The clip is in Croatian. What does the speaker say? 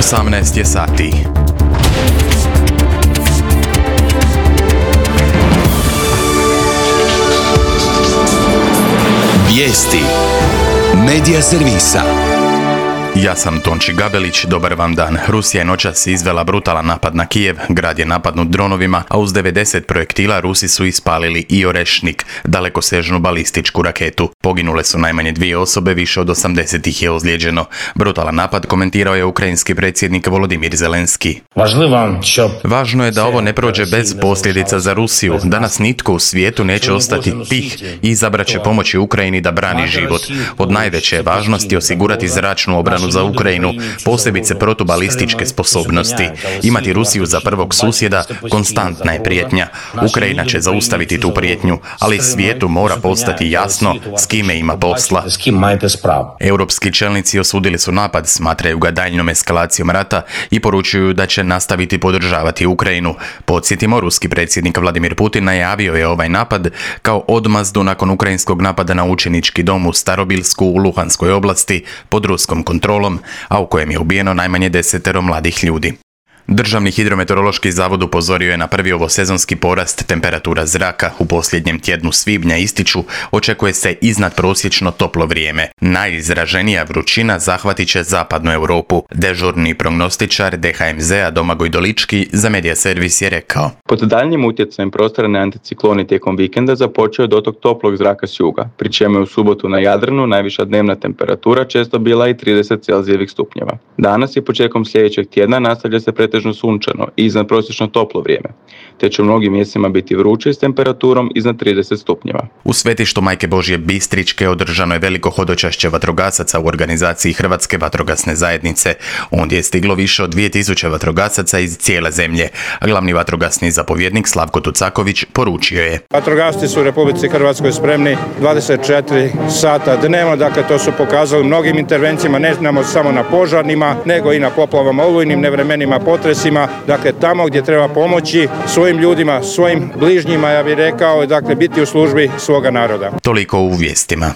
18 je sati. Vijesti Medija servisa. Ja sam Tonči Gabelić, dobar vam dan. Rusija je noćas izvela brutalan napad na Kijev, grad je napadnut dronovima, a uz 90 projektila Rusi su ispalili i Orešnik, dalekosežnu balističku raketu. Poginule su najmanje 2 osobe, više od 80 ih je ozlijeđeno. Brutalan napad komentirao je ukrajinski predsjednik Volodimir Zelenski. Važno je da ovo ne prođe bez posljedica za Rusiju. Danas nitko u svijetu neće ostati tih i izabrat će pomoći Ukrajini da brani život. Od najveće važnosti osigurati zračnu obranu za Ukrajinu, posebice protubalističke sposobnosti. Imati Rusiju za prvog susjeda konstantna je prijetnja. Ukrajina će zaustaviti tu prijetnju, ali svijetu mora postati jasno s kime ima posla. Europski čelnici osudili su napad, smatraju ga daljnjom eskalacijom rata i poručuju da će nastaviti podržavati Ukrajinu. Podsjetimo, ruski predsjednik Vladimir Putin najavio je ovaj napad kao odmazdu nakon ukrajinskog napada na učenički dom u Starobilsku u Luhanskoj oblasti pod ruskom kontrolom, a u kojem je ubijeno najmanje 10 mladih ljudi. Državni hidrometeorološki zavod upozorio je na prvi ovosezonski porast temperatura zraka. U posljednjem tjednu svibnja, ističu, očekuje se iznadprosječno toplo vrijeme. Najizraženija vrućina zahvatit će zapadnu Europu. Dežurni prognostičar DHMZ-a Domagoj Dolički za Medija servis je rekao: Pod daljnjim utjecajem prostorne anticikloni tijekom vikenda započeo dotok toplog zraka s juga, pri čemu je u subotu na Jadranu najviša dnevna temperatura često bila i 30 Celzijevih stupnjeva. Danas i početkom sljedećeg tjedna nastavlja se pretežno sunčano i iznadprosječno toplo vrijeme, te će u mnogim mjestima biti vruće s temperaturom iznad 30 stupnjeva. U svetištu Majke Božje Bistričke održano je veliko hodočašće vatrogasaca u organizaciji Hrvatske vatrogasne zajednice. Ondje je stiglo više od 2000 vatrogasaca iz cijele zemlje, a glavni vatrogasni zapovjednik Slavko Tucaković poručio je: Vatrogasci su u Republici Hrvatskoj spremni 24 sata dnevno, dakle to su pokazali mnogim intervencijama, ne samo na požarnima, nego i na poplavama, olujnim nevremenima, potresima, dakle tamo gdje treba pomoći svojim ljudima, svojim bližnjima, ja bih rekao, dakle biti u službi svoga naroda. Toliko u vijestima.